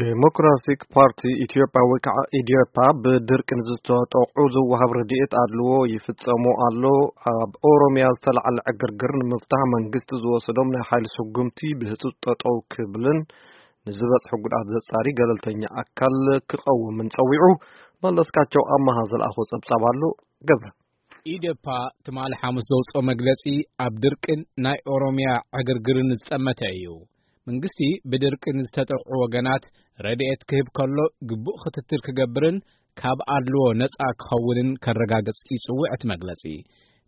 ዴሞክራቲክ ፓርቲ ኢትዮጵያ ወይ ከዓ ኢዴፓ ብድርቂ ንዝተጠቑ ዝወሃብ ረድኤት ኣድልዎ ይፍጸሙ ኣሎ። ኣብ ኦሮሚያ ዝተላዓለ ዕግርግር ንምፍታሕ መንግስቲ ዝወሰዶም ናይ ሓይሊ ስጉምቲ ብህጹጽ ጠጠው ክብልን ንዝበጽሑ ጉድኣት ዘጻሪ ገለልተኛ ኣካል ክቐውምን ጸዊዑ። መለስካቸው ኣማሃ ዝለኣኾ ጸብጻብ ኣሎ። ገብረ። ኢዴፓ ትማሊ ሓሙስ ዘውፅኦ መግለፂ ኣብ ድርቅን ናይ ኦሮሚያ ዕግርግርን ዝጠመተ እዩ። መንግስቲ ብድርቂ ንዝተጠቕዑ ወገናት ረድኤት ክህብ ከሎ ግቡእ ክትትል ክገብርን ካብ ኣድልዎ ነፃ ክኸውንን ከረጋግፅ ይፅውዕ እቲ መግለፂ።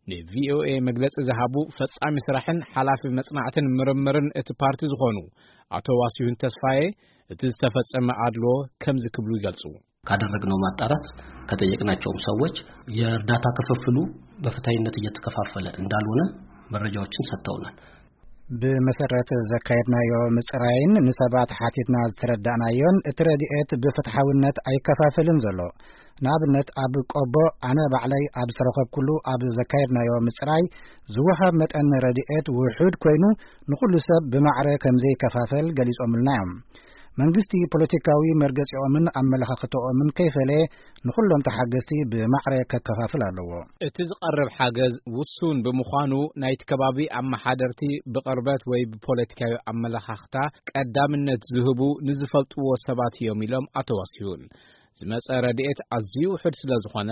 ንቪኦኤ መግለፂ ዝሃቡ ፈፃሚ ስራሕን ሓላፊ መፅናዕትን ምርምርን እቲ ፓርቲ ዝኾኑ ኣቶ ዋሲሁን ተስፋዬ እቲ ዝተፈጸመ ኣድልዎ ከምዚ ክብሉ ይገልፁ። ካደረግነው ማጣራት ከጠየቅናቸውም ሰዎች የእርዳታ ክፍፍሉ በፍትሐዊነት እየተከፋፈለ እንዳልሆነ መረጃዎችን ሰጥተውናል። ብመሰረት ዘካየድናዮ ምጽራይን ንሰባት ሓቲትና ዝተረዳእናዮን እቲ ረድኤት ብፍትሓውነት ኣይከፋፈልን ዘሎ። ንኣብነት ኣብ ቆቦ ኣነ ባዕለይ ኣብ ዝተረኸብኩሉ ኣብ ዘካየድናዮ ምጽራይ ዝወሃብ መጠን ረድኤት ውሑድ ኮይኑ ንኹሉ ሰብ ብማዕረ ከም ዘይከፋፈል ገሊጾምልና እዮም። መንግስቲ ፖለቲካዊ መርገጺኦምን ኣመለኻኽተኦምን ከይፈለየ ንኹሎም ተሓገዝቲ ብማዕረ ከከፋፍል ኣለዎ። እቲ ዝቐርብ ሓገዝ ውሱን ብምዃኑ ናይቲ ከባቢ ኣመሓደርቲ ብቕርበት ወይ ብፖለቲካዊ ኣመለኻኽታ ቀዳምነት ዝህቡ ንዝፈልጥዎ ሰባት እዮም ኢሎም ኣቶ ዋሲሁን። ዝመጸ ረድኤት ኣዝዩ ውሑድ ስለ ዝኾነ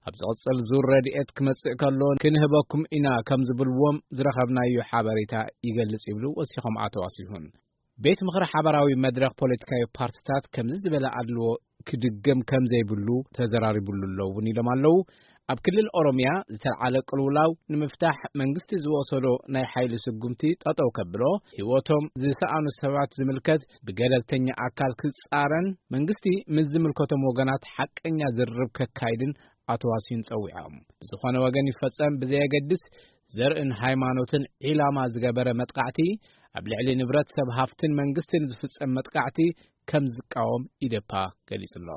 ኣብ ዝቕጽል ዙር ረድኤት ክመጽእ ከሎ ክንህበኩም ኢና ከም ዝብልዎም ዝረኸብናዮ ሓበሬታ ይገልጽ ይብሉ ወሲኾም ኣቶ ዋሲሁን። ቤት ምኽሪ ሓባራዊ መድረኽ ፖለቲካዊ ፓርትታት ከምዚ ዝበለ ኣድልዎ ክድገም ከም ዘይብሉ ተዘራሪቡሉ ኣሎ እውን ኢሎም ኣለዉ። ኣብ ክልል ኦሮሚያ ዝተልዓለ ቅልውላው ንምፍታሕ መንግስቲ ዝወሰዶ ናይ ሓይሊ ስጉምቲ ጠጠው ከብሎ ህይወቶም ዝሰኣኑ ሰባት ዝምልከት ብገለልተኛ ኣካል ክጻረን መንግስቲ ምስ ዝምልከቶም ወገናት ሓቀኛ ዝርርብ ከካይድን ኣቶ ዋሲን ጸዊዖም። ዝኾነ ወገን ይፈጸም ብዘየገድስ ዘርእን ሃይማኖትን ዒላማ ዝገበረ መጥቃዕቲ ኣብ ልዕሊ ንብረት ሰብ ሃፍትን መንግስትን ዝፍጸም መጥቃዕቲ ከም ዝቃወም ኢዴፓ ገሊጹ ኣሎ።